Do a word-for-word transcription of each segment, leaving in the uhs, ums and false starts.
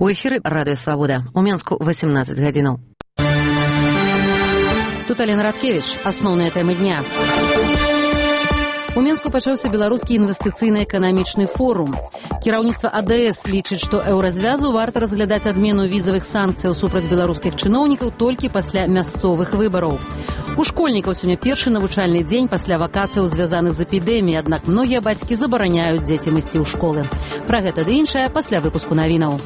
У эфіры радыё Свабода. У Менску восемнадцать гадзінаў. Тут Алена Радкевіч. Асноўныя тэмы дня. У Менску пачаўся беларускі інвестыцыйна-эканамічны форум. Кіраўніцтва А Дэ Эс лічыць, што еўразвязу варта разглядаць адмену візавых санкцыяў супраць беларускіх чыноўнікаў толькі пасля мясцовых выбараў. У школьнікаў сёння першы навучальны дзень пасля вакацыяў, звязаных з эпідэміяй, аднак многія бацькі забараняюць дзецям ісці ў школы. Пра гэта ды іншае пасля выпуску навінаў.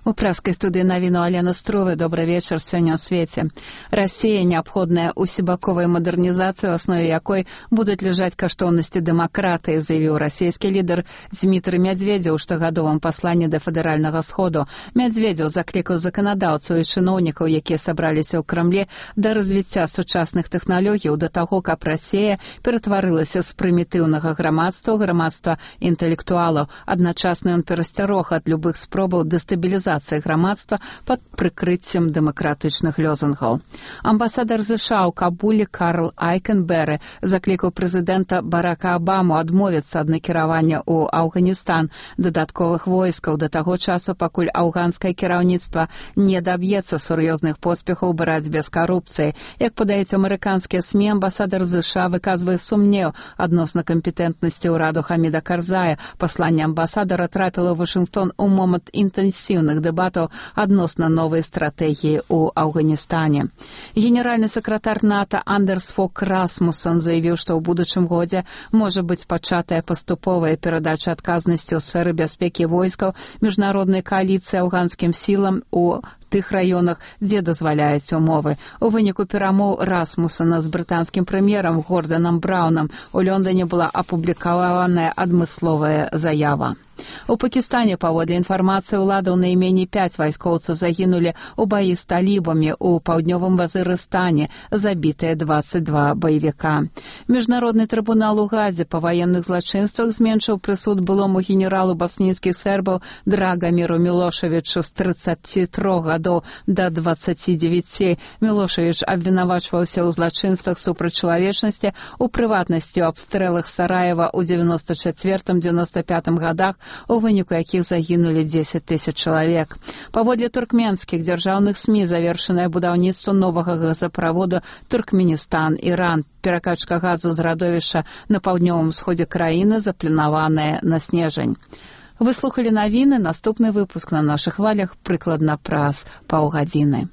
У праскай студыі навіну Алена Струве. Добрый вечар. Сёння ў свеце. Расія неабходная усебаковая мадэрнізацыя, у аснове якой будуць ляжаць каштоўнасці дэмакратыі, заявіў расійскі лідар Дзмітрый Мядзведзеў у штогадовым пасланні да федэральнага сходу. Мядзведзеў заклікаў заканадаўцаў і чыноўнікаў, якія сабраліся ў Крамлі, да развіцця сучасных тэхналогій, да таго, каб Расія ператварылася з прымітыўнага грамадства ў грамадства інтэлектуалаў. Адначасна ён перасцярог ад любых спробаў дэстабілізацыі грамадства пад прыкрыццем дэмакратычных лёзунгаў. Амбасадар ЗША ў Кабуле Карл Айкенберы заклікаў прэзідэнта Барака Абаму адмовіцца ад накіравання ў Афганістан дадатковых войскаў да таго часу, пакуль афганскае кіраўніцтва не даб'ецца сур'ёзных поспехаў у барацьбе з карупцыяй. Як падаюць амерыканскія СМІ, амбасадар ЗША выказвае сумнеў адносна кампетэнтнасці ўраду Хаміда Карзая. Пасланне амбасадара трапіла ў Вашынгтон у момант інтэнсіўных дэбатаў адносна новай стратэгіі ў Афганістане. Генеральны сакратар НАТО Андерс Фок Расмуссен заявіў, што ў будучым годзе можа быць пачатая паступовая перадача адказнасці ў сферы бяспекі войскаў міжнароднай кааліцыі афганскім сілам у тых раёнах, дзе дазваляюць умовы. У выніку перамоў Расмуссена з брытанскім прэм'ерам Горданам Браўнам у Лондоне была апублікаваная адмысловая заява. У Пакістане, паводле інфармацыі ўладаў, найменей пяць вайскоўцаў загінулі ў баі з талібамі ў паўднёвым Вазырыстане, забітыя дваццаць два баевіка. Міжнародны трыбунал у Гадзе па ваенных злачынствах зменшыў прысуд былому генералу баснійскіх сербаў Драгаміру Мілошавічу з трыццаці трох гадоў да дваццаці дзевяці. Мілошавіч абвінавачваўся ў злачынствах супраць чалавечнасці, у прыватнасці ў абстрэлах Сараева ў девяносто чацвёртым — девяносто пятым гадах, у выніку якіх загінулі дзесяць тысяч чалавек. Паводле туркменскіх дзяржаўных СМІ завершанае будаўніцтва новага газаправоду Туркменістан-Іран. Перакачка газу з радовішча на паўднёвым усходзе краіны запланаваная на снежань. Вы слухалі навіны. Наступны выпуск на нашых хвалях прыкладна праз паўгадзіны.